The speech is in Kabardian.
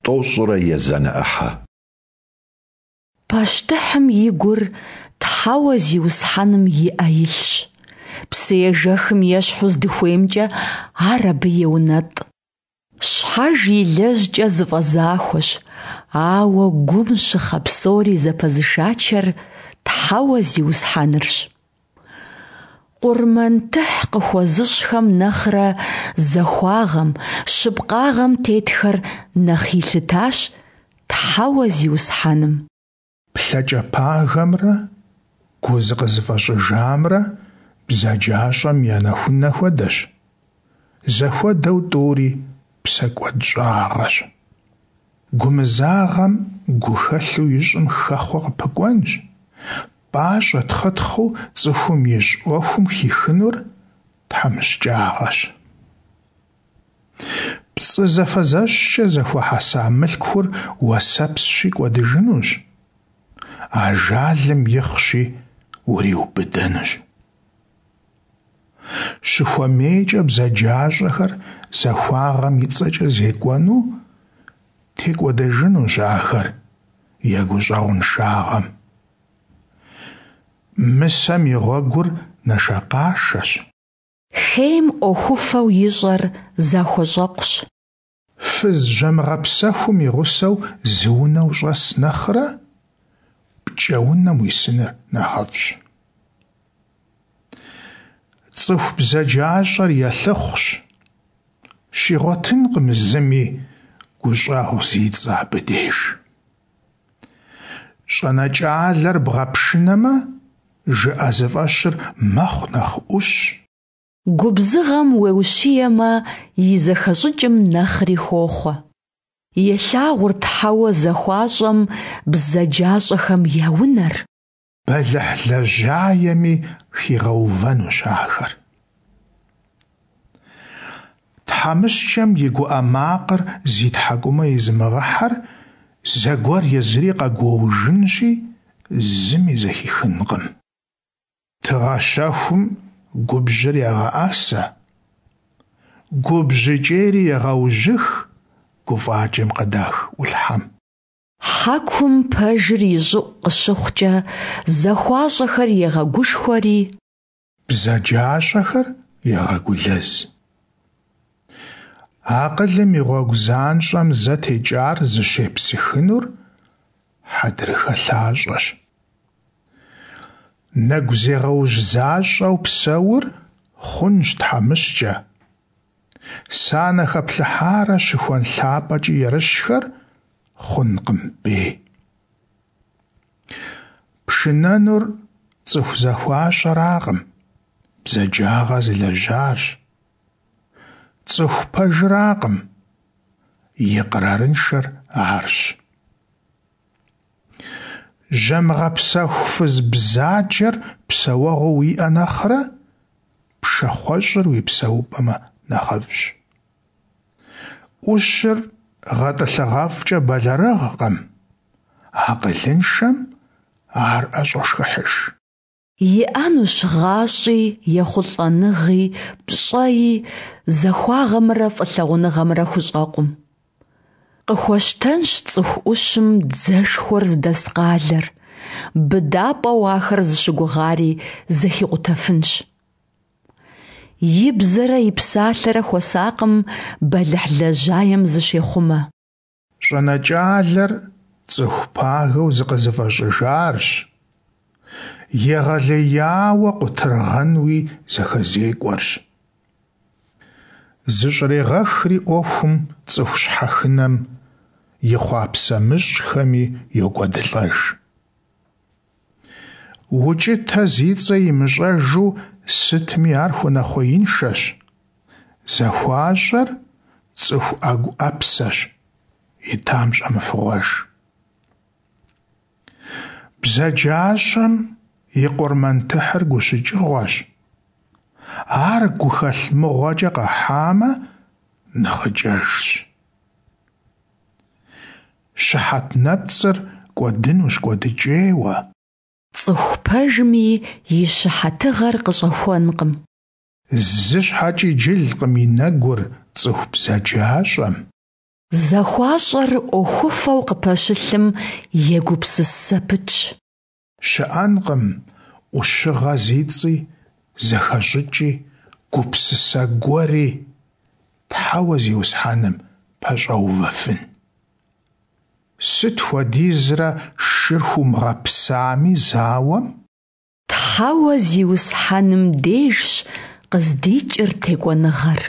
Тӏощӏрэ езанэ ӏыхьэ. Пащтыхьым и гур Тхьэуэ Зиусхьэным и ӏэ илъщ. Псыежэхым ещхьу здыхуеймкӏэ ар абы еунэтӏ. Щхьэж илэжькӏэ зыфӏэзахуэщ, ауэ гум щыхъэ псори зэпэзышачэр Тхьэуэ Зиусхьэнырщ. Къурмэн тыхь къыхуэзыщӏхэм нэхърэ захуагъэм, щыпкъагъэм тетхэр нэхъ илъытащ Тхьэуэ Зиусхьэным. Плъэкӏэ пагэмрэ гу зыкъызыфӏэщӏыжамрэ бзаджащӏэм я нэхунэ хуэдэщ, зэхуэдэу тӏури псэкӏуэдщӏагъэщ. Гумызагъэм гухэлъу ищӏым хэхъуэ къыпыкӏуэнщ, пӏащӏэ-тхъытхъыу цӏыхум ищӏ ӏуэхум хихынур тхьэмыщкӏагъэщ. Пцӏы зэфэзэщкӏэ зэхуэхьэса мылъкур уэсэпсщи кӏуэдыжынущ, ажалым ихъщи уриубыдэнущ. Щыхуэмейкӏэ бзаджащӏэхэр захуагъэм и цӏэкӏэ зекӏуэну текӏуэдэжынущ ахэр я гущӏэгъуншагъэм. Мысэм и гъуэгур нэшэкъашэщ. Хейм ӏуэхуфэу ищӏэр захуэщӏэкъущ. Фыз жьэмыгъэпсэхум и гъусэу зы унэ ущӏэс нэхърэ, пкӏэунэм уисыныр нэхъыфӏщ. Цӏыху бзаджащӏэр елъыхъущ, щигъуэтынкъым зыми гущӏэгъу зи цӏэ абы деж. Щӏэнэкӏалэр бгъэпшынэмэ, жыӏэзыфӏэщыр мэхъу нэхъ ӏущ. Губзыгъэм уеущиемэ, и зэхэщӏыкӏым нэхъри хохъуэ. Елъагъур Тхьэуэ захуащӏэм бзаджащӏэхэм я унэр. Бэлыхь лэжьаеми хигъэувэнущ ахэр. Тхьэмыщкӏэм и гуӏэ макъыр зи тхьэкӏумэ изымыгъыхьэр зэгуэр езыри къэгуоужынщи, зыми зэхихынкъым. Тыгъэ щэхум губжьыр егъэӏэсэ, губжьыкӏейри егъэужьых гуфӏакӏэм къыдах ӏулъхьэм. Хьэкум пэжыр и щӏыӏу къыщыхъукӏэ, захуащӏэхэр егъэгушхуэри. Бзаджащӏэхэр егъэгулэз. Акъылым и гъуэгу занщӏэм зэ текӏар зыщепсыхынур хьэдрыхэ лъащӏэщ. Нэгу зегъэужь защӏэу псэур хъунщ тхьэмыщкӏэ. Санэ хэплъыхьарэ щыхуэн лъапӏэкӏи ерыщхэр хъункъым бей. Пшынэнур цӏыху захуащӏэракъым, бзаджагъэ зылэжьарщ. Цӏыху пэжыракъым, икърарыншэр арщ. Жьэмыгъэпсэху фыз бзаджэр псэуэгъуу уиӏэ нэхърэ, пшахъуэщӏыр уи псэупӏэмэ нэхъыфӏщ. ӏущыр гъэтӏылъыгъэфӏкӏэ бэлэрыгъкъым, акъылыншэм ар ӏэщӏошхыхьыж. Иӏэнущ гъащӏи, ехъулӏэныгъи, пщӏэи, захуагъэмрэ фӏылъагъуныгъэмрэ хущӏэкъум. Къыхуэщтэнщ цӏыху ӏущым дзэшхуэр зыдэс къалэр, быдапӏэу ахэр зыщыгугъари зэхикъутэфынщ. И бзэрэ и псалъэрэ хуэсакъым бэлыхь лэжьаем зыщехъумэ. Щӏэнэкӏалэр цӏыху пагэу зыкъызыфӏэщӏыжарщ, егъэлеяуэ къутыргъэнуи зэхэзекӏуэрщ. Зыщӏрегъэхри ӏуэхум цӏыху щхьэхынэм и хъуапсэмыщӏхэми йокӏуэдылӏэж. Укӏытэ зи цӏэ имыщӏэжу сытми ар хуэнэхъуеиншэщ. Захуащӏэр цӏыху ӏэгу ӏэпсэщ, итам щӏэмыфыгъуэж. Бзаджащӏэм и къурмэн тыхьыр гущыкӏыгъуэщ. Ар гухэлъ мыгъуэкӏэ къэхьамэ, нэхъыкӏэжщ. Щыхьэт нэпцӏыр кӏуэдынущ кӏуэдыкӏейуэ. Цӏыху пэжми и щыхьэтыгъэр къыщӏэхуэнкъым. Зы щхьэкӏи джылкъым и нэгур цӏыху бзаджащӏэм. Захуащӏэр ӏуэхуфэу къыпэщылъым егупсыс зэпытщ. Щыӏэнкъым ӏущыгъэ зи цӏи, зэхэщӏыкӏи, гупсысэ гуэри Тхьэуэ Зиусхьэным пэщӏэувэфын. Сыт хуэдизрэ шыр хуумыгъэпсами зауэм? Тхьэуэ Зиусхьэным дежщ къыздикӏыр текӏуэныгъэр.